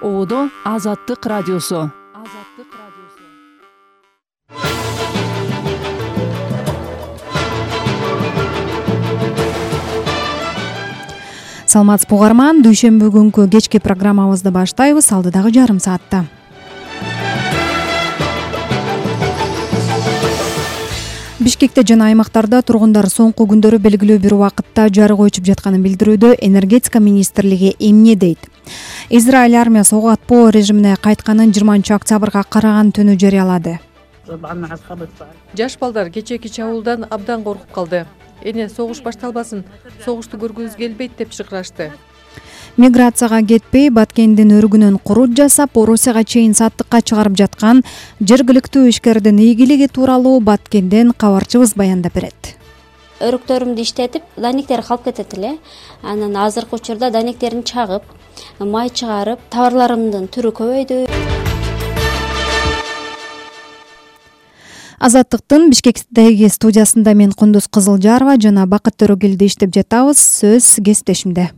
Одо Азаттык радиосу. Саламатсызбы угарман, дүйшөмбү күнкү кечки программабызды баштайбыз. Алдыдагы жарым саатта Бишкекте жана аймактарда тургундар соңку күндөрү белгилүү бир убакытта жарык өчүп жатканын билдирүүдө энергетика министрлиги эмне дейт? Израиль армиясы ок атпоо режимине кайтканын 20-октябрга караган түнү жарыялады. Жаш балдар кечээки чабуулдан абдан коркуп калды. Эне согуш башталбасын, согушту көргүбүз келбейт деп шыкырашты. Миграцияга кетпей, Баткендин өргүнөн курут жасап, Орусияга чейин саттыкка чыгарып жаткан жергиликтүү ишкердин ийгилиги тууралуу Баткенден кабарчыбыз баяндап берет. Өрүктөрүмдү иштетип, данектер калып кетет эле. Анан азыркы учурда данектерин чагып, май чыгарып, товарларымдын түрү көбөйдү. Азаттыктын Бишкектеги студиясында мен Кундуз Кызылжарова жана Бакыт Төрөгелди иштеп жатабыз. Сөз кесиптешимде.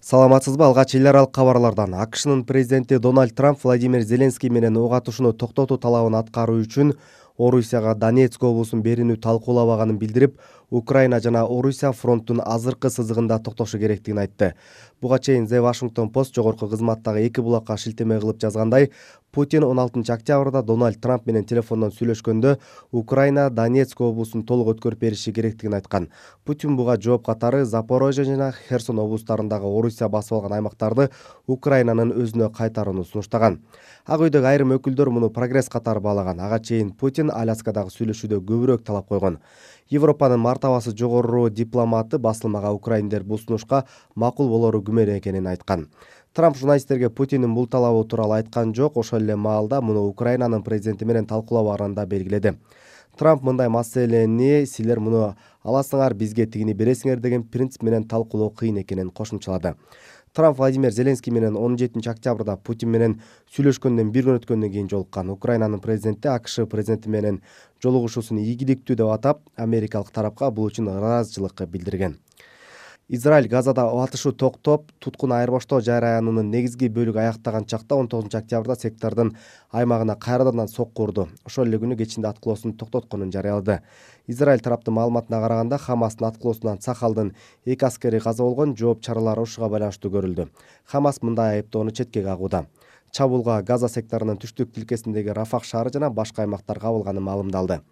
Саламатсызбы? Алгач эл аралык кабарлардан. АКШнын президенти Дональд Трамп Владимир Зеленский менен ок атышууну токтотуу талабын аткаруу үчүн Орусияга Донецк облусун берүүнү талкуулабаганын билдирип, Украина жана Орусия фронттун азыркы сызыгында токтошу керектигин айтты. Буга чейин The Washington Post жогорку кызматтагы эки булакка шилтеме кылып жазгандай, Путин 16-октябрда Дональд Трамп менен телефондон сүйлөшкөндө Украина Донецк облусун толук өткөрүп бериши керектигин айткан. Путин буга жооп катары Запорожье жана Херсон облустарындагы Орусия басып алган аймактарды Украинанын өзүнө кайтарууну сунуштаган. Ак үйдөгү айрым өкүлдөр муну прогресс катары баалаган. Ага чейин Путин Аляскадагы сүйлөшүүдө көбүрөөк талап койгон. Европанын мартабасы жогору дипломаты басылмага украиндер бул сунушка макул болору күмөн экенин айткан. Трамп журналисттерге Путиндин бул талабы тууралуу айткан жок, ошол эле маалда муну Украинанын президенти менен талкуулабаганын да белгиледи. Трамп мындай маселени силер муну аласыңар, бизге тигини бересиңер деген принцип менен талкуулоо кыйын экенин кошумчалады. Трамп Владимир Зеленский менен 17-октябрда Путин менен сүйлөшкөндөн бир күн өткөндөн кийин жолуккан. Украинанын президенти АКШ президенти менен жолугушуусун ийгиликтүү деп атап, америкалык тарапка бул үчүн ыраазычылык билдирген. Израиль Газада атышуу токтоп, туткун айырбаштоо жараянынын негизги бөлүгү аяктаган чакта 19-октябрда сектордун аймагына кайрадан сокку урду. Ошол эле күнү кечинде аткылоосун токтотконун жарыялады. Израиль тараптын маалыматына караганда, Хамастын аткылоосунан Сахалдын 2 аскери каза болгон, жооп чаралары ушуга байланыштуу көрүлдү. Хамас мындай айыптоону четке кагууда. Чабуулга Газа секторунун түштүк тилкесиндеги Рафах шаары жана башка аймактар кабылганы маалымдалды.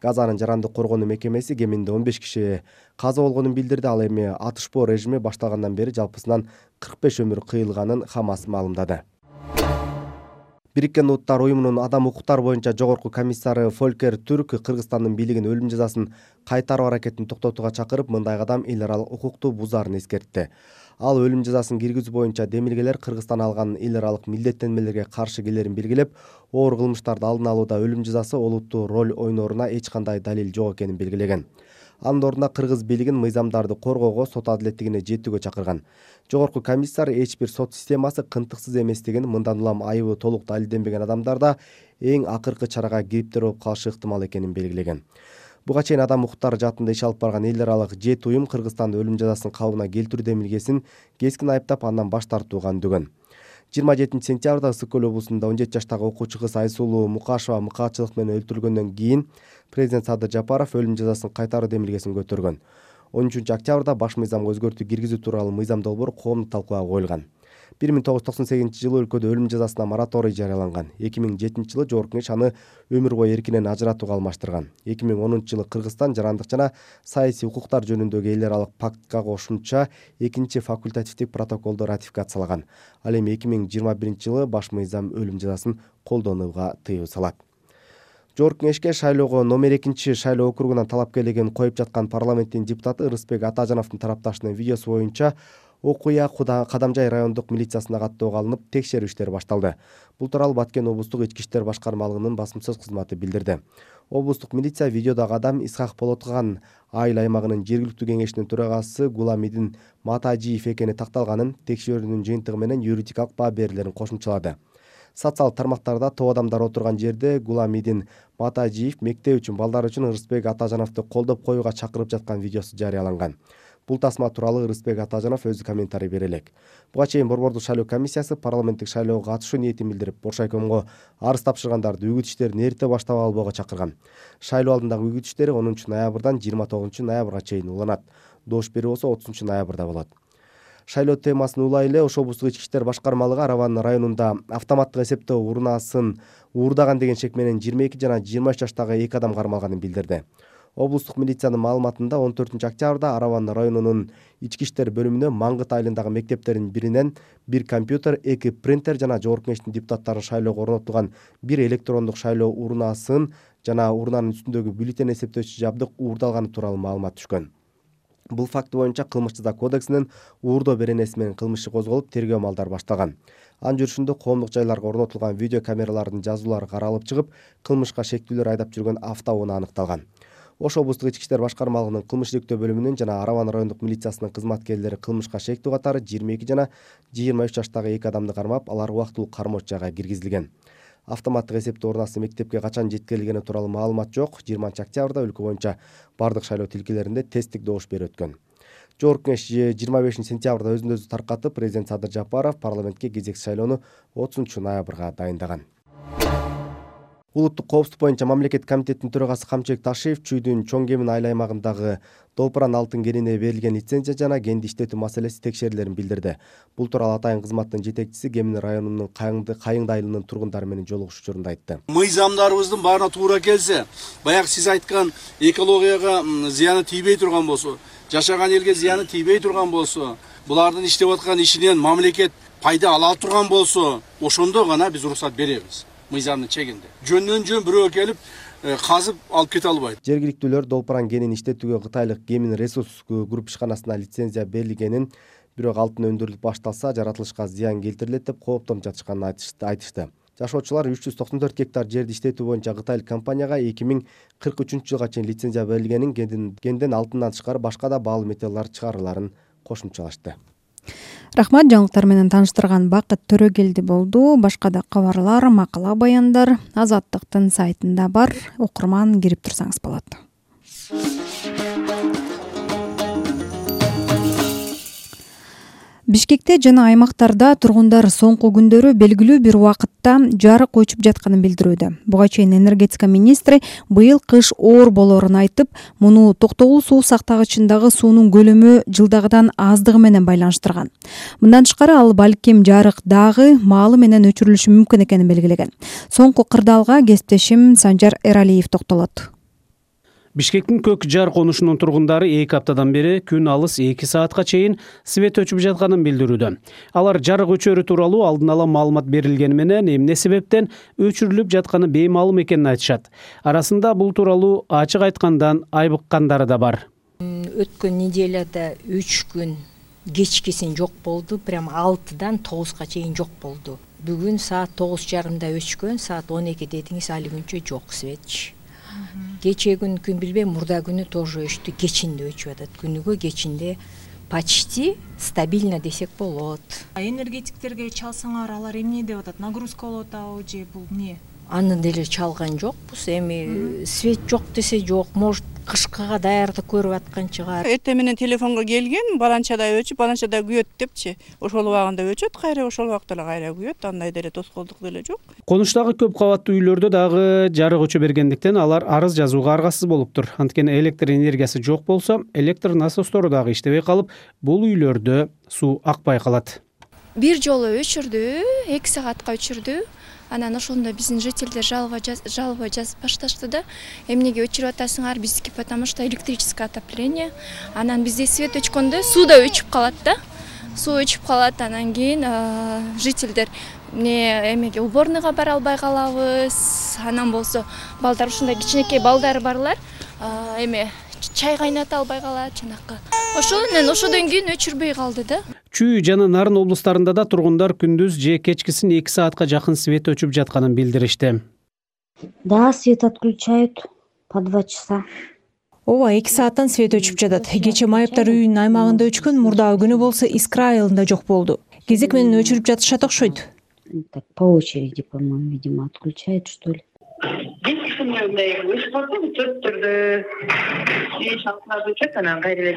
Газанын жарандык коргонуу мекемеси кеминде 15 киши каза болгонун билдирди. Ал эми атышпоо режими башталгандан бери жалпысынан 45 өмүр кыйылганын Хамас маалымдады. Бириккен Улуттар уюмунун адам укуктары боюнча жогорку комиссары Фолькер Түрк Кыргызстандын бийлигин өлүм жазасын кайтаруу аракетин токтотууга чакырып, мындай кадам эл аралык укукту бузаарын эскертти. Ал өлүм жазасын киргизүү боюнча демилгелер Кыргызстан алган эл аралык милдеттенмелерге каршы келерин белгилеп, оор кылмыштарды алдын алууда өлүм жазасы олуттуу роль ойнооруна эч кандай далил жок экенин белгилеген. Анын ордуна кыргыз бийлигин мыйзамдарды коргоого, сот адилеттигине жетүүгө чакырган. Жогорку комиссар эч бир сот системасы кынтыксыз эместигин, мындан улам айыбы толук далилденбеген адамдарда эң акыркы чарага кээптер болуп калышы ыктымал экенин белгилеген. Буга чейин адам укуктары жаатында иш алып барган эл аралык 7 уюм Кыргызстанды өлүм жазасын калыбына келтирүү демилгесин кескин айыптап, андан баш тартууга үндөгөн. 27-сентябрда Ысык көл облусунда 17 жаштагы окуучу кыз Айсулуу Мукашева мыкаатчылык менен өлтүрүлгөндөн кийин президент Садыр Жапаров өлүм жазасын кайтаруу демилгесин көтөргөн. 13-октябрда баш мыйзамга өзгөртүү киргизүү тууралуу мыйзам долбоор коомдук талкууга коюлган. 1998-жылы өлкөдө өлүм жазасына мораторий жарыяланган. 2007-жылы Жогорку Кеңеш аны өмүр бою эркинен ажыратууга алмаштырган. 2010-жылы Кыргызстан жарандык жана саясий укуктар жөнүндөгү эл аралык пактка кошумча 2-чи факультативдик протоколду ратификациялаган. Ал эми 2021-жылы баш мыйзам өлүм жазасын колдонууга тыюу салат. Жогорку Кеңешке шайлоого номер 2 шайлоо округунан талапкерлигин коюп жаткан парламенттин депутаты Ырысбек Атажановдун тарапташынын видеосу боюнча окуя Кадамжай райондук милициясына каттоого алынып, текшерүү иштери башталды. Бул тууралуу Баткен облустук ички иштер башкармалыгынын басмасөз кызматы билдирди. Облустук милиция видеодагы адам Исхак Болоткан айыл аймагынын жергиликтүү кеңешинин төрагасы Гуламидин Матажиев экени такталганын, текшерүүнүн жыйынтыгы менен юридикалык баа берилерин кошумчалады. Социалдык тармактарда топ адамдар отурган жерде Гуламидин Матажиев мектеп үчүн балдар үчүн Ырысбек Атажановду колдоп коюуга чакырып жаткан видеосу жарыяланган. Бул тасма тууралуу Ырысбек Атажанов өзү комментарий бере элек. Буга чейин Борбордук шайлоо комиссиясы парламенттик шайлоого катышуу ниетин билдирип, Боршайкомго арыз тапшыргандарды үгүт иштерин эрте баштап албоого чакырган. Шайлоо алдындагы үгүт иштери 10 ноябрдан 29 ноябрга чейин уланат. Добуш берүү болсо 30 ноябрда болот. Шайлоо темасын улай эле Ош облустук ички иштер башкармалыгы Араван районунда автоматтык эсептөө урнаасын уурдаган деген шек менен 22 жана 23 жаштагы 2 адам кармалганын билдирди. Облустук милициянын маалыматында 14 октябрда Араван районунун ички иштер бөлүмүнө Маңгыт айылындагы мектептердин биринен 1 компьютер, 2 принтер жана Жогорку Кеңештин депутаттарын шайлоого орнотулган 1 электрондук шайлоо урнаасын жана урнанын үстүндөгү бюллетень эсептөөчү жабдык уурдалганы тууралуу маалымат түшкөн. Бул факт боюнча Кылмыш жаза кодексинин уурдоо беренеси менен кылмыш иши козголуп, тергөө амалдары башталган. Анын жүрүшүндө коомдук жайларга орнотулган видео камералардын жазуулары каралып чыгып, кылмышка шектүүлөр айдап жүргөн автоунаа аныкталган. Ош облустук ички иштер башкармалыгынын кылмыш иликтөө бөлүмүнүн жана Араван райондук милициясынын кызматкерлери кылмышка шектүү катары 22 жана 23 жаштагы 2 адамды кармап, алар убактылуу кармоочу жайга киргизилген. Автоматтык эсептөө урнасы мектепке качан жеткирилгени тууралуу маалымат жок. 20 октябрда өлкө боюнча бардык шайлоо тилкелеринде тесттик добуш берүү өткөн. Жогорку Кеңеш 25 сентябрда өзүн өзү таркатып, президент Садыр Жапаров парламентке кезектүү шайлоону 30 ноябрга дайындаган. Улуттук коопсуздук боюнча мамлекет комитетинин төрагасы Камчыбек Ташиев Чүйдүн Чоң Кемин айыл аймагындагы Долпуран алтын кенине берилген лицензия жана кенди иштетүү маселеси текшерилерин билдирди. Бул тууралуу Атайын кызматтын жетекчиси Кемин районунун Кайыңды айылынын тургундары менен жолугушуу учурунда айтты. Мыйзамдарыбыздын баарына туура келсе, баягы сиз айткан экологияга зыяны тийбей турган болсо, жашаган элге зыяны тийбей турган болсо, булардын иштеп аткан ишинен мамлекет пайда ала турган болсо, ошондо гана биз уруксат беребиз. Мыйзамдын чегинде. Жөндөн жөн бирөө келип казып алып кете албайт. Жергиликтүүлөр Долпуран кенин иштетүүгө Кытайлык Кемин ресурс групп ишканасына лицензия берилгенин, бирок алтын өндүрүлүп башталса жаратылышка зыян келтирилет деп кооптонуп жатышканын айтышты. Жашоочулар 394 гектар жерди иштетүү боюнча кытайлык компанияга 2043 жылга чейин лицензия берилгенин, кенден алтындан тышкары башка да баалуу металлдар чыгарыларын кошумчалашты. Рахмат, жаңылыктар менен тааныштырган Бакыт Төрөгелди болду. Башка да кабарлар, макала, баяндар Азаттыктын сайтында бар. Окурман кирип турсаңыз болот. Бишкекте жана аймактарда тургундар соңку күндөрү белгилүү бир убакытта жарык өчүп жатканын билдирүүдө. Буга чейин энергетика министри быйыл кыш оор болоорун айтып, муну токтогул суу сактагычындагы суунун көлөмү жылдагыдан аздыгы менен байланыштырган. Мындан тышкары ал балким жарык дагы маалы менен өчүрүлүшү мүмкүн экенин белгилеген. Соңку кырдаалга кесиптешим Санжар Эралиев токтолот. Бишкектин көк жар конушунун тургундары 2 аптадан бери күн алыс 2 саатка чейин свет өчүп жатканын билдирүүдө. Алар жарык өчөрү тууралуу алдын ала маалымат берилгени менен эмне себептен өчүрүлүп жатканы беймаалым экенин айтышат. Арасында бул тууралуу ачык айткандан айбыккандары да бар. Өткөн неделяда 3 күн кечкисин жок болду, прям 6-дан 9-га чейин жок болду. Бүгүн саат 9:30 өчкөн, саат 12 дедиңиз, али күнчө жок свет. Кече күн билбейм, мурда күнү тоже өчтү, кечинде өчүп атат. Күнүгө кечинде почти стабильно десек болот. Энергетиктерге чалсаңар, алар эмне деп атат? Нагрузка болуп атабы же бул эмне? Аны деле чалган жокпуз. Эми свет жок десе жок, может кышкыга даярдык көрүп аткан чыгар. Эртең менен телефонго келген, баланчада өчүп, баланчада күйөт депчи. Ошол убагында өчөт, кайра ошол убакта эле кайра күйөт. Андай деле тоскоолдук деле жок. Конуштагы көп кабаттуу үйлөрдө дагы жарык өчө бергендиктен алар арыз жазууга аргасыз болуптур. Анткени электр энергиясы жок болсо, электр насостору дагы иштебей калып, бул үйлөрдө суу акпай калат. Бир жолу өчүрдү, 2 саатка өчүрдү. Анан ошондо биздин жителдер жалоба жазып башташты да. Эмнеге өчүрүп атасыңар, биздики потому что электрическое отопление. Анан бизде свет өчкөндө суу да өчүп калат да. Суу өчүп калат, анан кийин жителдер эмеге уборныйга бара албай калабыз. Анан болсо балдар, ушундай кичинекей балдары барлар, чай кайната албай калат жанакы. Ошодон кийин өчүрбөй калды да. Чүй жана Нарын облустарында да тургундар күндүз же кечкисин 2 саатка жакын свет өчүп жатканын билдиришти. Да, свет отключают по 2 часа. Ооба, 2 сааттан свет өчүп жатат. Кече Майыптар үйүнүн аймагында өчкөн, мурдагы күнү болсо Искра айылында жок болду. Кезек менен өчүрүп жатышат окшойт. Так по очереди, по-моему, видимо, отключают, что ли. День тишины күнүнө мындай өсүп калса төрттөрдө шалкаларды өчөт, анан кайра эле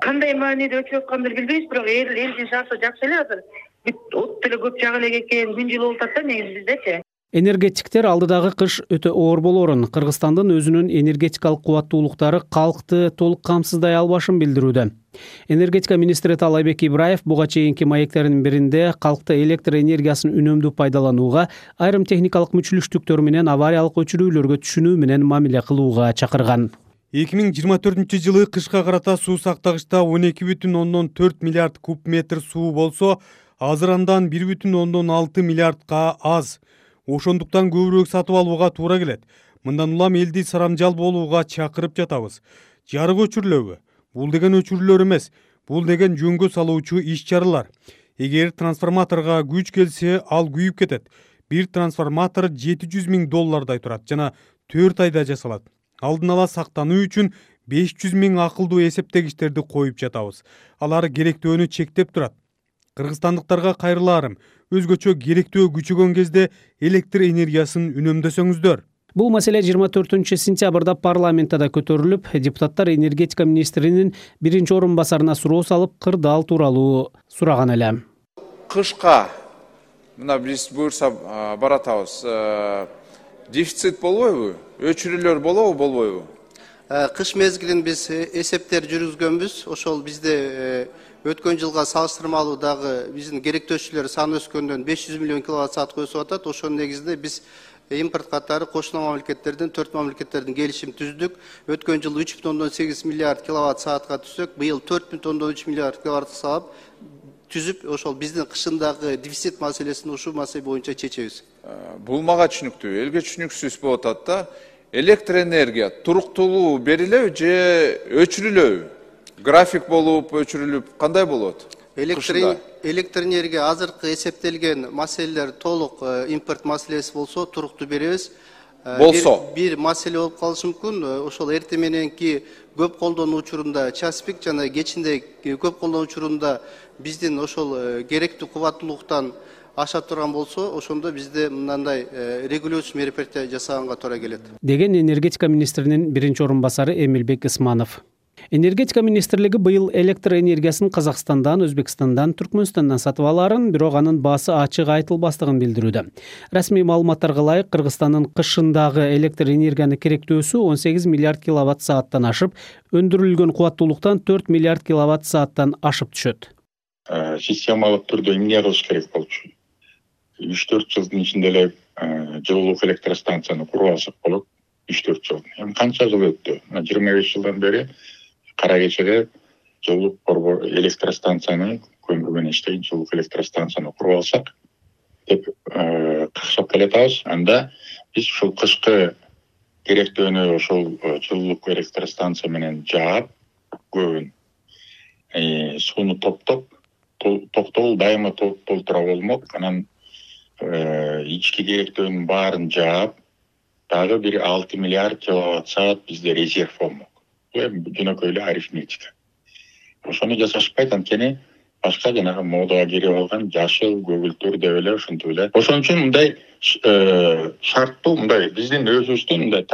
кандай мааниде өчүп аткандыр билбейбиз, бирок эл жашаса жакшы эле азыр. От деле көп жага элек экен, күн жылуу болуп атат да негизи биздечи. Энергетиктер алдыдагы кыш өтө оор болоорун, Кыргызстандын өзүнүн энергетикалык кубаттуулуктары калкты толук камсыздай албашын билдирүүдө. Энергетика министри Таалайбек Ибраев буга чейинки маектеринин биринде калкты электр энергиясын үнөмдүү пайдаланууга, айрым техникалык мүчүлүштүктөр менен авариялык өчүрүүлөргө түшүнүү менен мамиле кылууга чакырган. 2024-жылы кышка карата суу сактагычта 12,4 миллиард куб метр суу болсо, азыр андан 1,6 миллиардка аз. Ошондуктан көбүрөөк сатып алууга туура келет. Мындан улам элди сарамжал болууга чакырып жатабыз. Жарык өчүрүлөбү? Бул деген өчүрүүлөр эмес, бул деген жөнгө салуучу иш-чаралар. Эгер трансформаторго күч келсе, ал күйүп кетет. Бир трансформатор $700,000 турат жана 4 айда жасалат. Алдын ала сактануу үчүн 500,000 акылдуу эсептегичтерди коюп жатабыз. Алар керектөөнү чектеп турат. Кыргызстандыктарга кайрылаарым, өзгөчө керектөө күчөгөн кезде электр энергиясын үнөмдөсөңүздөр. Бул маселе 24 сентябрда парламентте да көтөрүлүп, депутаттар энергетика министринин биринчи орун басарына суроо салып, кырдаал тууралуу сураган эле. Кышка мына биз буюрса баратабыз. Дефицит болбойбу? Өчүрүүлөр болобу, болбойбу? Кыш мезгилин биз эсептер жүргүзгөнбүз. Ошол бизде өткөн жылга салыштырмалуу дагы биздин керектөөчүлөр саны өскөндөн 500 миллион киловатт саатка өсүп атат. Ошонун негизинде биз импорт катары кошуна мамлекеттерден 4 мамлекеттердин келишим түздүк. Өткөн жылы 3,8 миллиард киловатт саатка түзсөк, быйыл 4,3 миллиард киловатт саат түзүп, ошол биздин кышындагы дефицит маселесин ушул маселе боюнча чечебиз. Бул мага түшүнүктүү, элге түшүнүксүз болуп атат да. Электр энергия туруктуулуу берилеби же өчүрүлөбү? График болуп, өчүрүлүп, кандай болот? Электр энергия азыркы эсептелген маселелер толук импорт маселеси болсо туруктуу беребиз. Болсо бир маселе болуп калышы мүмкүн. Ошол эртең мененки көп колдонуу учурунда час пик жана кечинде көп колдонуу учурунда биздин ошол керектүү кубаттуулуктан аша турган болсо, ошондо бизде мындай регулирующий мероприятие жасаганга туура келет. Деген энергетика министринин биринчи орун басары Эмилбек Исманов. Энергетика министрлиги быйыл электр энергиясын Казакстандан, Өзбекстандан, Түркмөнстандан сатып аларын, бирок анын баасы ачык айтылбастыгын билдирүүдө. Расмий маалыматтарга ылайык, Кыргызстандын кышындагы электр энергияны керектөөсү 18 миллиард киловатт сааттан ашып, өндүрүлгөн кубаттуулуктан 4 миллиард киловатт сааттан ашып түшөт. Системалык түрдө эмне кылыш керек болчу? 3-4 жылдын ичинде эле жылуулук электростанцияны куруп алсак болот. 3-4 жыл. Эми канча жыл өттү? 25 жылдан бери Кара кечеде жылуулук борбор электростанцияны көмүр менен иштейт жылуулук электростанцияны куруп алсак деп какшап келатабыз. Анда биз ушул кышкы керектөөнү ошол жылуулук электростанция менен жаап, көбүн сууну токтол дайыма толтура болмок. Анан ички керектөөнүн баарын жаап, дагы бир 6 миллиард киловатт саат бизде резерв болмок. Жөнөкөй эле арифметика. Ошону жасашпайт, анткени башка жанагы модага кирип алган жашыл көгүлтөр деп эле ошентип эле. Ошон үчүн мындай шарттуу, мындай биздин өзүбүздүн мындай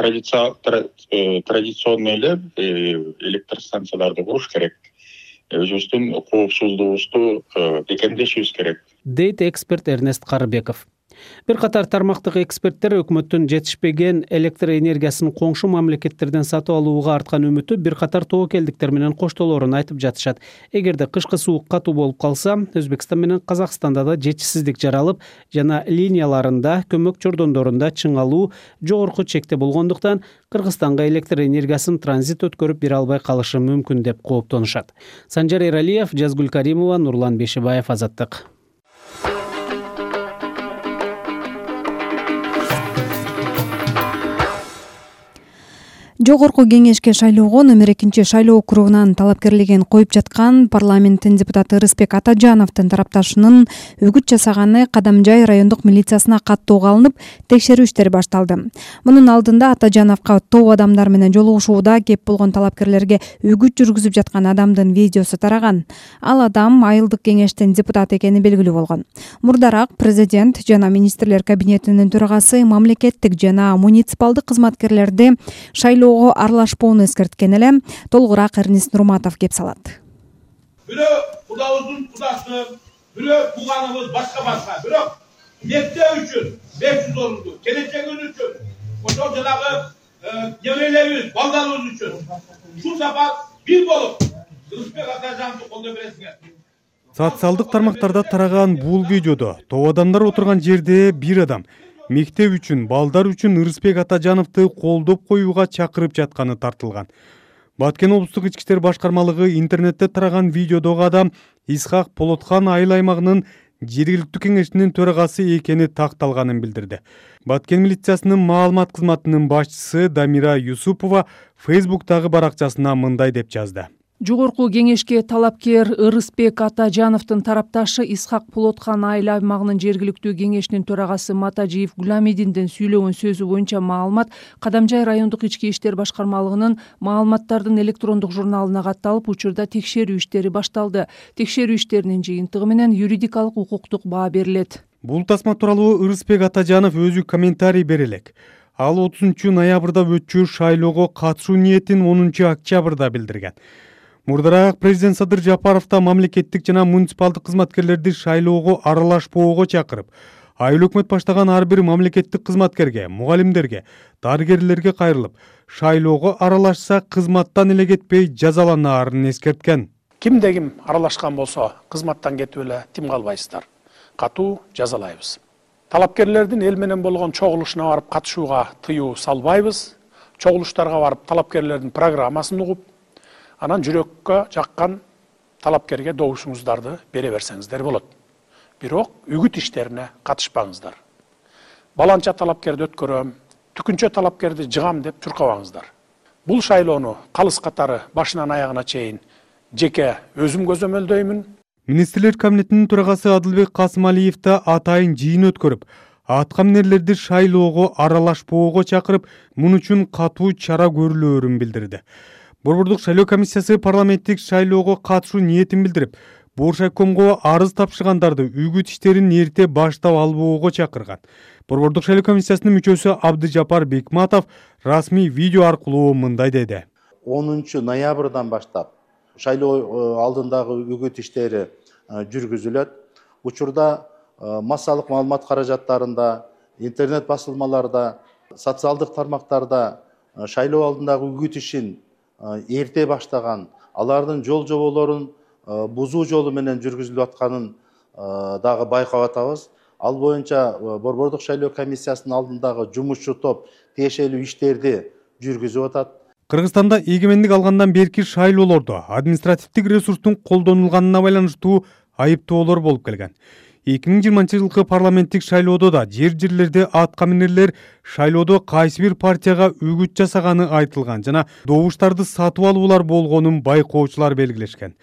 традиционный эле электростанцияларды куруш керек. Өзүбүздүн коопсуздугубузду бекемдешибиз керек. Дейт эксперт Эрнест Карыбеков. Бир катар тармактык эксперттер өкмөттүн жетишпеген электр энергиясын коңшу мамлекеттерден сатып алууга арткан үмүтү бир катар тобокелдиктер менен коштолоорун айтып жатышат. Эгерде кышкы суук катуу болуп калса, Өзбекстан менен Казакстанда да жетишсиздик жаралып, жана линияларында, көмөк чордондорунда чыңалуу жогорку чекте болгондуктан Кыргызстанга электр энергиясын транзит өткөрүп бере албай калышы мүмкүн деп кооптонушат. Санжар Эралиев, Жазгүл Каримова, Нурлан Бешибаев, Азаттык. Жогорку кеңешке шайлоого номер 2 шайлоо округунан талапкерлигин коюп жаткан парламенттин депутаты Ырысбек Атажановдун тарапташынын үгүт жасаганы Кадамжай райондук милициясына каттоого алынып, текшерүү иштери башталды. Мунун алдында Атажановго топ адамдар менен жолугушууда кеп болгон талапкерлерге үгүт жүргүзүп жаткан адамдын видеосу тараган. Ал адам айылдык кеңештин депутаты экени белгилүү болгон. Мурдараак президент жана министрлер кабинетинин төрагасы мамлекеттик жана муниципалдык кызматкерлерди шайлоого аралашпоону эскерткен эле. Толугураак Эрнис Нурматов кеп салат. Бирөө кудабыздын кудасы, бирөө тууганыбыз башка, бирок мектеп үчүн 500 орунду, келечегибиз үчүн, ошол жанагы неберелерибиз, балдарыбыз үчүн ушул сапар бир болуп Ырысбек Атажановду колдой бересиңер. Социалдык тармактарда тараган бул видеодо топ адамдар отурган жерде бир адам мектеп үчүн, балдар үчүн Ырысбек Атажановду колдоп коюуга чакырып жатканы тартылган. Баткен облустук ички иштер башкармалыгы интернетте тараган видеодогу адам Исхак Полотхан айыл аймагынын жергиликтүү кеңешинин төрагасы экени такталганын билдирди. Баткен милициясынын маалымат кызматынын башчысы Дамира Юсупова Facebook'тагы баракчасына мындай деп жазды. Жогорку кеңешке талапкер Ырысбек Атажановдун тарапташы Исхак Полотхан айыл аймагынын жергиликтүү кеңешинин төрагасы Матажиев Гуламидиндин сүйлөгөн сөзү боюнча маалымат Кадамжай райондук ички иштер башкармалыгынын маалыматтардын электрондук журналына катталып, учурда текшерүү иштери башталды. Текшерүү иштеринин жыйынтыгы менен юридикалык укуктук баа берилет. Бул тасма тууралуу Ырысбек Атажанов өзү комментарий берелек. Ал 30 ноябрда өтчү шайлоого катышуу ниетин 10 октябрда билдирген. Мурдараак президент Садыр Жапаров да мамлекеттик жана муниципалдык кызматкерлерди шайлоого аралашпоого чакырып, айыл өкмөт баштаган ар бир мамлекеттик кызматкерге, мугалимдерге, дарыгерлерге кайрылып, шайлоого аралашса кызматтан эле кетпей жазаланаарын эскерткен. Кимде ким аралашкан болсо, кызматтан кетип эле тим калбайсыздар. Катуу жазалайбыз. Талапкерлердин эл менен болгон чогулушуна барып катышууга тыюу салбайбыз. Чогулуштарга барып талапкерлердин программасын угуп, анан жүрөккө жаккан талапкерге добушуңуздарды бере берсеңиздер болот. Бирок үгүт иштерине катышпаңыздар. Баланча талапкерди өткөрөм, түкүнчө талапкерди жыгам деп чуркабаңыздар. Бул шайлоону калыс катары башынан аягына чейин жеке өзүм көзөмөлдөймүн. Министрлер кабинетинин төрагасы Адылбек Касымалиев да атайын жыйын өткөрүп, аткаминерлерди шайлоого аралашпоого чакырып, мун үчүн катуу чара көрүлөөрүн билдирди. Борбордук шайлоо комиссиясы парламенттик шайлоого катышуу ниетин билдирип, Боршайкомго арыз тапшыргандарды үгүт иштерин эрте баштап албоого чакырган. Борбордук шайлоо комиссиясынын мүчөсү Абдыжапар Бекматов расмий видео аркылуу мындай деди. 10 ноябрдан баштап шайлоо алдындагы үгүт иштери жүргүзүлөт. Учурда массалык маалымат каражаттарында, интернет басылмаларда, социалдык тармактарда шайлоо алдындагы үгүт ишин эрте баштаган, алардын жол жоболорун бузуу жолу менен жүргүзүлүп атканын дагы байкап атабыз. Ал боюнча Борбордук шайлоо комиссиясынын алдындагы жумушчу топ тиешелүү иштерди жүргүзүп атат. Кыргызстанда эгемендик алгандан берки шайлоолордо административдик ресурстун колдонулганына байланыштуу айыптоолор болуп келген. 2020 жылкы парламенттик шайлоодо да жерлерде аткаминерлер шайлоодо кайсы бир партияга үгүт жасаганы айтылган жана добуштарды сатып алуулар болгонун байкоочулар белгилешкен.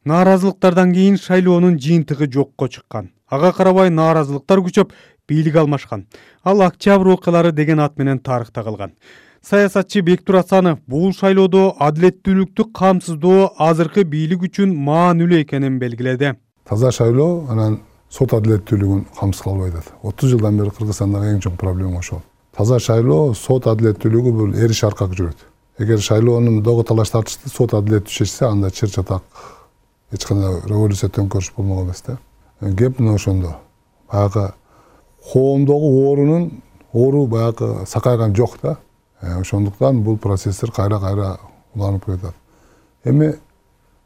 Нааразылыктардан кийин шайлоонун жыйынтыгы жокко чыккан. Ага карабай нааразылыктар күчөп, бийлик алмашкан. Ал октябрь окуялары деген ат менен тарыхта калган. Саясатчы Бектур Асанов бул шайлоодо адилеттүүлүктү камсыздоо азыркы бийлик үчүн маанилүү экенин белгиледи. Таза шайлоо анан сот адилеттүүлүгүн камсыз кылбайт. 30 жылдан бери Кыргызстандагы эң чоң проблема ошол. Таза шайлоо, сот адилеттүүлүгү бул эриш аркак жүрөт. Эгер шайлоонун догу талаш тартышты сот адилеттүү чечсе, анда чыр чатак эч кандай революция төңкөрүш болмок эмес да. Кеп мына ошондо. Баягы коомдогу оору баягы сакайган жок да. Ошондуктан бул процесстер кайра уланып кетет. Эми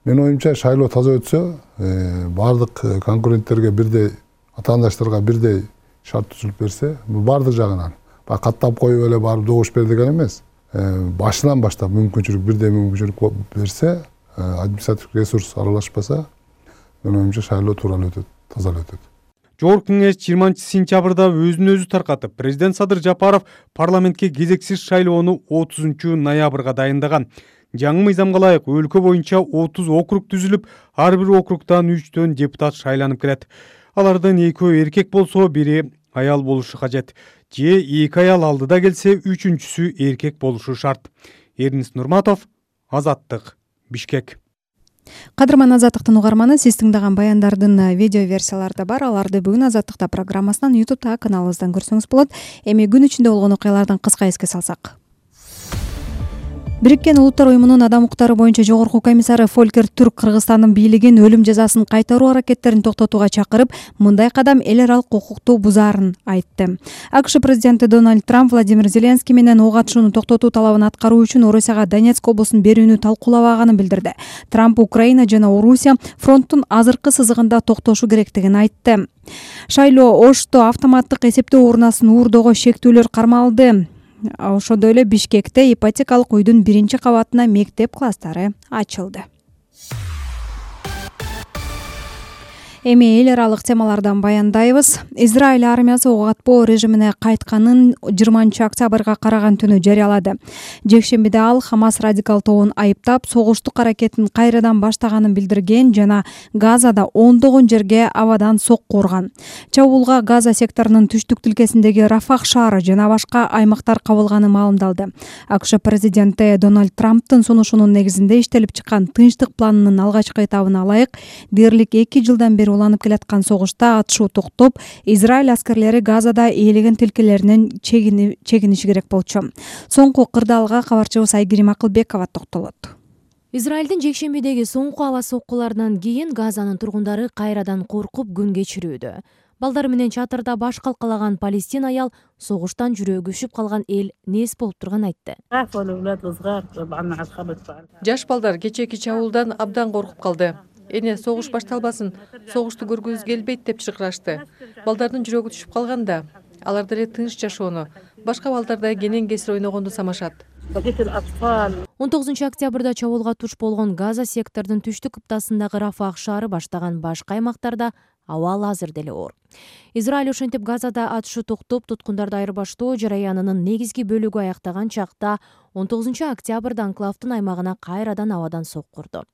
мен оюмча шайлоо таза өтсө, бардык конкуренттерге бирдей, атаандаштарга бирдей шарт түзүлүп берсе, бул бардык жагынан. Каттап коюп эле барып добуш бер деген эмес. Башынан баштап бирдей мүмкүнчүлүк берсе, административдик ресурс аралашпаса, мен оюмча шайлоо тууралуу өтөт, таза өтөт. Жогорку кеңеш 20-сентябрда өзүн өзү таркатып, президент Садыр Жапаров парламентке кезексиз шайлоону 30-ноябрга дайындаган. Жаңы мыйзамга ылайык өлкө боюнча 30 округ түзүлүп, ар бир округдан 3 депутат шайланып келет. Алардын 2 эркек болсо, бири аял болушу кажет. Же 2 аял алдыда келсе, 3-сү эркек болушу шарт. Эрнис Нурматов, Азаттык, Бишкек. Кадырман Азаттыктын угарманы, сиз тыңдаган баяндардын видео версиялары да бар. Аларды бүгүн Азаттыкта программасынан YouTube'да каналыбыздан көрсөңүз болот. Эми күн ичинде болгон окуялардан кыска эске салсак. Бириккен Улуттар уюмунун адам укуктары боюнча жогорку комиссары Фолькер Түрк Кыргызстандын бийлигин өлүм жазасын кайтаруу аракеттерин токтотууга чакырып, мындай кадам эл аралык укукту бузаарын айтты. АКШ президенти Дональд Трамп Владимир Зеленский менен ок атышууну токтотуу талабын аткаруу үчүн Орусияга Донецк облусун берүүнү талкуулабаганын билдирди. Трамп Украина жана Орусия фронттун азыркы сызыгында токтошу керектигин айтты. Шайлоо Ошто автоматтык эсептөө урнасын уурдоого шектүүлөр кармалды. Ошондой эле Бишкекте ипотекалык үйдүн 1-кабатына мектеп класстары ачылды. Эми эл аралык темалардан баяндайбыз. Израиль армиясы ок атпоо режимине кайтканын 20-октябрга караган түнү жарыялады. Жекшембиде ал Хамас радикал тобун айыптап, согуштук аракетин кайрадан баштаганын билдирген жана Газада ондогон жерге абадан сокку урган. Чабуулга Газа секторунун түштүк тилкесиндеги Рафах шаары жана башка аймактар кабылганы маалымдалды. АКШ президенти Дональд Трамптын сунушунун негизинде иштелип чыккан тынчтык планынын алгачкы этабына ылайык, дээрлик 2 жылдан бери уланып келаткан согушта атышуу токтоп, Израиль аскерлери Газада ээлеген тилкелеринен чегиниши керек болчу. Соңку кырдаалга кабарчыбыз Айгерим Акылбекова токтолот. Израилдин жекшембидеги соңку аба соккуларынан кийин Газанын тургундары кайрадан коркуп күн кечирүүдө. Балдары менен чатырда баш калкалаган палестин аял согуштан жүрөгү үшүп калган эл нес болуп турганын айтты. Жаш балдар кечээки чабуулдан абдан коркуп калды. Эне согуш башталбасын, согушту көргүбүз келбейт деп чыркырашты. Балдардын жүрөгү түшүп калганда, алар деле тынч жашоону, башка балдардай кенен кесир ойногонду самашат. 19 октябрда чабуулга туш болгон Газа сектордун түштүк кыптасындагы Рафах шаары баштаган башка аймактарда абал азыр деле оор. Израиль ошентип Газада атышуу токтоп, туткундарды айырбаштоо жараянынын негизги бөлүгү аяктаган чакта 19 октябрда анклавдын аймагына кайрадан абадан сокку урду.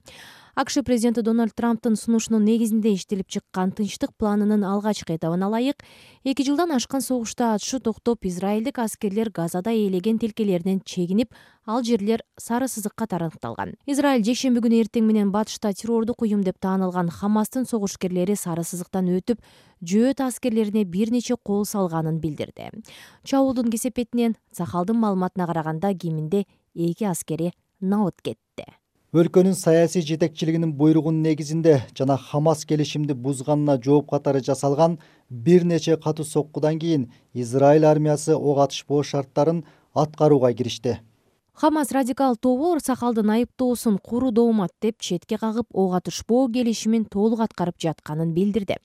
АКШ президенти Дональд Трамптын сунушунун негизинде иштелип чыккан тынчтык планынын алгачкы этабына ылайык, 2 жылдан ашкан согушта атышуу токтоп, израилдик аскерлер Газада ээлеген тилкелеринен чегинип, ал жерлер сары сызык катары аныкталган. Израиль жекшемби күнү эртең менен батышта террордук уюм деп таанылган Хамастын согушкерлери сары сызыктан өтүп, жөөт аскерлерине бир нече кол салганын билдирди. Чабуулдун кесепетинен Сахалдын маалыматына караганда кеминде 2 аскери набыт кетти. Өлкөнүн саясий жетекчилигинин буйругунун негизинде жана Хамас келишимди бузганына жооп катары жасалган бир нече катуу соккудан кийин Израиль армиясы ок атышпоо шарттарын аткарууга киришти. Хамас радикал тобу Сахалдын айыптоосун куру доомат деп четке кагып, ок атышпоо келишимин толук аткарып жатканын билдирди.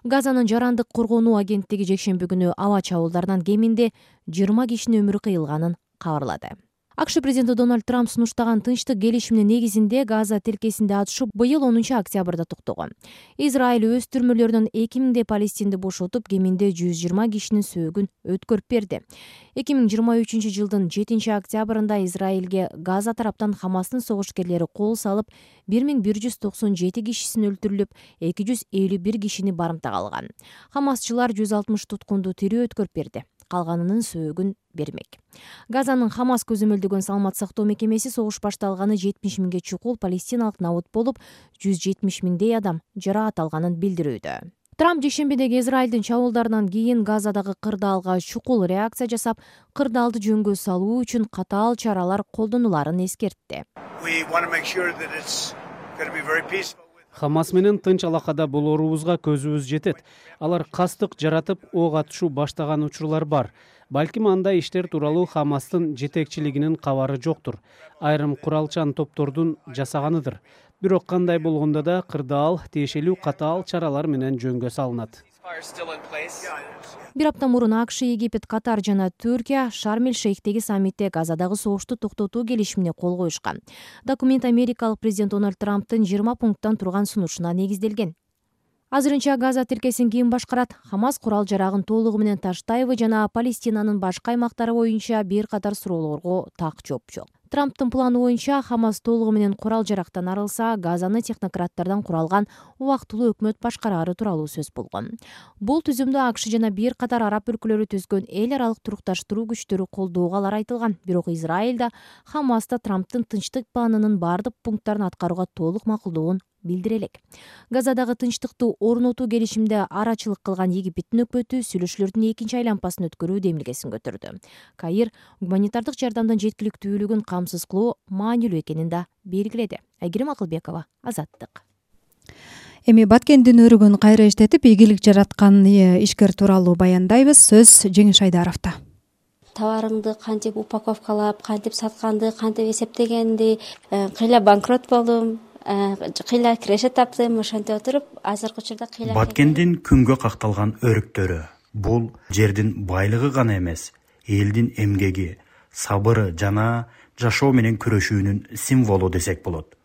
Газанын жарандык коргонуу агенттиги жекшемби күнү аба чабуулдарынан кеминде 20 кишинин өмүрү кыйылганын кабарлады. АКШ президенти Дональд Трамп сунуштаган тынчтык келишиминин негизинде Газа тилкесинде атышуу быйыл 10 октябрда токтогон. Израиль өз түрмөлөрүнөн 2000 палестинди бошотуп, кеминде 120 кишинин сөөгүн өткөрүп берди. 2023 жылдын 7 октябрында Израилге Газа тараптан Хамастын согушкерлери кол салып, 1197 кишисин өлтүрүлүп, 251 кишини барымтага алган. Хамасчылар 160 туткунду тирүү өткөрүп берди. Калганынын сөөгүн бермек. Газанын Хамас көзөмөлдөгөн саламат сактоо мекемеси согуш башталганы 70 миңге чукул палестиналык набыт болуп, 170 миңдей адам жараат алганын билдирүүдө. Трамп жекшембидеги Израилдин чабуулдарынан кийин Газадагы кырдаалга чукул реакция жасап, кырдаалды жөнгө салуу үчүн катаал чаралар колдонуларын эскертти. Хамас менен тынч алакада болоорубузга көзүбүз жетет. Алар кастык жаратып, ок атышуу баштаган учурлар бар. Балким андай иштер тууралуу Хамастын жетекчилигинин кабары жоктур. Айрым куралчан топтордун жасаганыдыр. Бирок кандай болгондо да кырдаал тиешелүү катаал чаралар менен жөнгө салынат. Бир апта мурун АКШ, Египет, Катар жана Түркия Шарм-эль-Шейхтеги саммитте Газадагы согушту токтотуу келишимине кол коюшкан. Документ америкалык президент Дональд Трамптын 20 пункттан турган сунушуна негизделген. Азырынча Газа тилкесин ким башкарат? Хамас курал жарагын толугу менен таштайбы жана Палестинанын башка аймактары боюнча бир катар суроолорго так жооп жок. Трамптын планы боюнча Хамас толугу менен курал жарактан арылса, Газаны технократтардан куралган убактылуу өкмөт башкарары тууралуу сөз болгон. Бул түзүмдү АКШ жана бир катар араб өлкөлөрү түзгөн эл аралык турукташтыруу күчтөрү колдоого алар айтылган. Бирок Израиль да Хамас да Трамптын тынчтык планынын бардык пункттарын аткарууга толук макулдугун билдире элек. Газадагы тынчтыкты орнотуу келишимде арачылык кылган Египеттин өкмөтү сүйлөшүүлөрдүн экинчи айланпасын өткөрүү демилгесин көтөрдү. Каир гуманитардык жардамдын жеткиликтүүлүгүн камсыз кылуу маанилүү экенин да белгиледи. Айгерим Акылбекова, Азаттык. Эми Баткендин өрүгүн кайра иштетип, ийгилик жараткан ишкер тууралуу баяндайбыз. Сөз Жеңиш Айдаровдо. Товарыңды кантип упаковкалап, кантип сатканды, кантип эсептегенди, кыйла банкрот болдум. Кыйла киреше таптым, ошентип отуруп, азыркы учурда кыйла. Баткендин күнгө какталган өрүктөрү бул жердин байлыгы гана эмес, элдин эмгеги, сабыры жана жашоо менен күрөшүүнүн символу десек болот.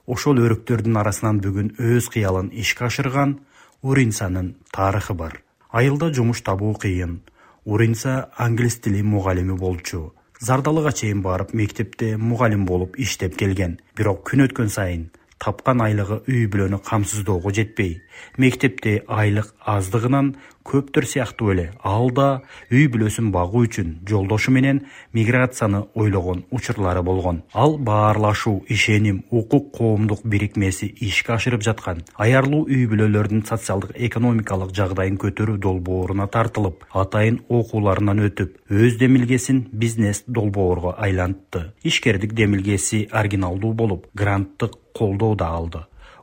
Ошол өрүктөрдүн арасынан бүгүн өз кыялын ишке ашырган Уринсанын тарыхы бар. Айылда жумуш табуу кыйын. Уринса англис тили мугалими болчу. Зардалыга чейин барып мектепте мугалим болуп иштеп келген. Бирок күн өткөн сайын тапкан айлыгы үй бүлөнү камсыздоого жетпей, мектепте айлык аздыгынан көптөр сыяктуу эле ал да үй бүлөсүн багуу үчүн жолдошу менен миграцияны ойлогон учурлары болгон. Ал баарлашуу, ишеним, укук коомдук бирикмеси ишке ашырып жаткан аярлуу үй бүлөлөрдүн социалдык экономикалык жагдайын көтөрүү долбооруна тартылып, атайын окууларынан өтүп, өз демилгесин бизнес долбоорго айлантты. Ишкердик демилгеси оригиналдуу болуп, гранттык колдоо да алды.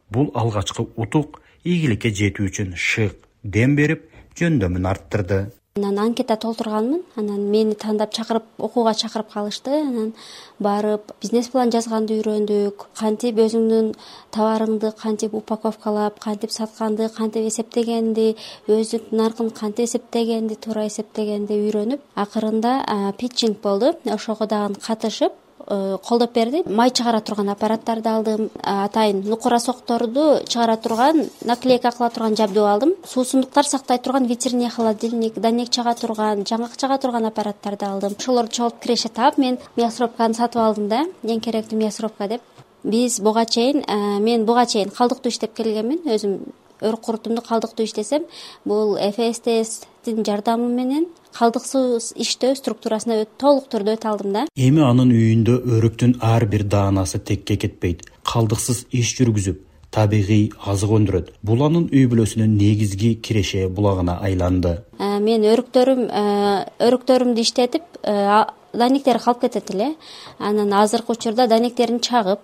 Бул алгачкы утук ийгиликке жетүү үчүн шык дем берип, жөндөмүн арттырды. Анан анкета толтурганмын, анан мени тандап чакырып, окууга чакырып калышты. Анан барып бизнес план жазганды үйрөндүк. Кантип өзүңдүн товарыңды кантип упаковкалап, кантип сатканды, кантип эсептегенди, өзүң наркын кантип эсептегенди, туура эсептегенди үйрөнүп, акырында питчинг болду. Ошого дагы катышып колдоп берди. Май чыгара турган аппараттарды алдым. Атайын нукура сокторду чыгара турган, наклейка кыла турган жабдуу алдым. Суусундуктар сактай турган ветеринарий холодильник, донек чыга турган, жаңгак чыга турган аппараттарды алдым. Ошолорду чогулуп киреше таап, мен мясорубканы сатып алдым да, эң керектүү мясорубка деп. Биз буга чейин, мен буга чейин калдыктуу иштеп келгенмин. Өзүм өрүк курутумду калдыктуу иштесем, бул ФСТСтин жардамы менен калдыксыз иштөө структурасына толук түрдө өтө алдым да. Эми анын үйүндө өрүктүн ар бир даанасы текке кетпейт. Калдыксыз иш жүргүзүп, табигый азык өндүрөт. Бул анын үй бүлөсүнүн негизги киреше булагына айланды. Мен өрүктөрүмдү иштетип, данектер калып кетет эле. Анан азыркы учурда данектерин чагып,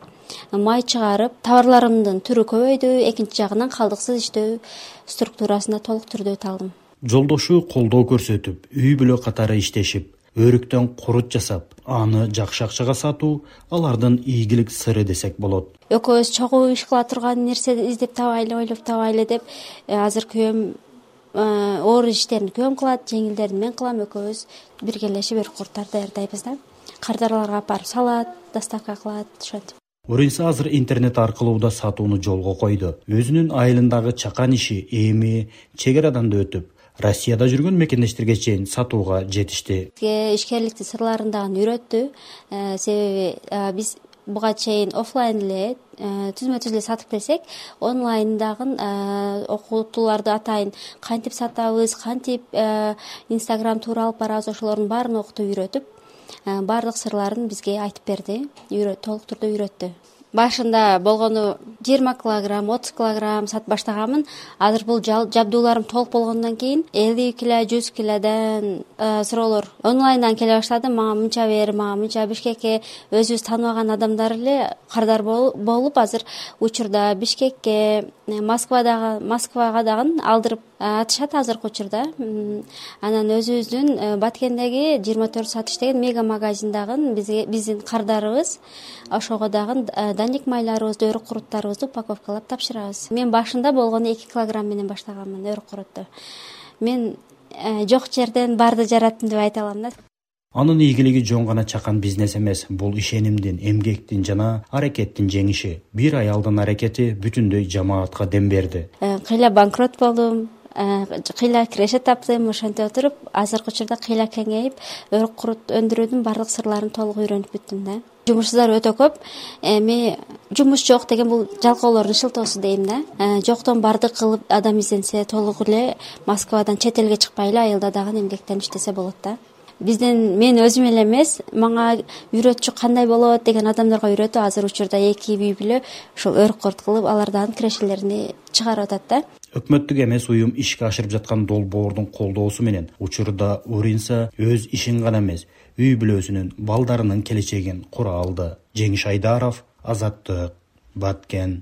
май чыгарып, товарларымдын түрү көбөйдү. Экинчи жагынан калдыксыз иштөө структурасына толук түрдө өтө алдым. Жолдошу колдоо көрсөтүп, үй бүлө катары иштешип, өрүктөн курут жасап, аны жакшы акчага сатуу алардын ийгилик сыры десек болот. Экөөбүз чогуу иш кыла турган нерсе издеп табайлы, ойлоп табайлы деп, азыр күйөөм оор иштерин күйөөм кылат, жеңилдерин мен кылам. Экөөбүз биргелешип өрүк курттарды даярдайбыз да. Кардарларга апарып салат, доставка кылат, ошентип. Уринса азыр интернет аркылуу да сатууну жолго койду. Өзүнүн айылындагы чакан иши эми чек арадан да өтүп, Россияда жүргөн мекендештерге чейин сатууга жетишти. Ишкерликтин сырларын дагы үйрөттү. Себеби биз буга чейин офлайн эле түзмө-түз эле сатып келсек, онлайн дагы окутууларды атайын кантип сатабыз, кантип Instagram туура алып барабыз, ошолордун баарын окутуп үйрөтүп, баардык сырларын бизге айтып берди, толук түрдө үйрөттү. Башында болгону 20 килограмм, 30 килограмм сатып баштаганмын. Азыр бул жабдууларым толук болгондон кийин 50 кило, 100 килодон суроолор онлайндан келе баштады. Мага мынча бер, мага мынча. Бишкекке өзүбүз тааныбаган адамдар эле кардар болуп, азыр учурда Бишкекке, Москвага дагы алдырып атышат азыркы учурда. Анан өзүбүздүн Баткендеги 24 саат иштеген мега магазиндагы биздин кардарыбыз, ошого дагы даник майларыбызды, өрүк куруттарыбызды упаковкалап тапшырабыз. Мен башында болгону 2 килограмм менен баштаганмын өрүк курутtu. Мен жок жерден барды жараттым деп айта алам да. Анын ийгилиги жон гана чакан бизнес эмес, бул ишенимдин, эмгектин жана аракеттин жеңиши. Бир аялдын аракети бүтүндөй жамаатка дем берди. Кыйла банкрот болдум, кыйла киреше таптым, ошентип отуруп азыркы учурда кыйла кеңейип, өрүк курут өндүрүүдүн баардык сырларын толук үйрөнүп бүттүм да. Жумушсуздар өтө көп. Эми жумуш жок деген бул жалкоолордун шылтоосу дейм да. Жоктон бардык кылып адам изденсе, толук эле Москвадан чет элге чыкпай эле айылда дагы эмгектенип иштесе болот да. Мен өзүм эле эмес, мага үйрөтчү кандай болот деген адамдарга үйрөтүп, азыр учурда 2 үй бүлө ушул өрүк курут кылып, алардын кирешелерин чыгарып атат да. Өкмөттүк эмес уюм ишке ашырып жаткан долбоордун колдоосу менен учурда Уринса өз ишин гана эмес, үй бүлөсүнүн, балдарынын келечегин кура алды. Жеңиш Айдаров, Азаттык, Баткен.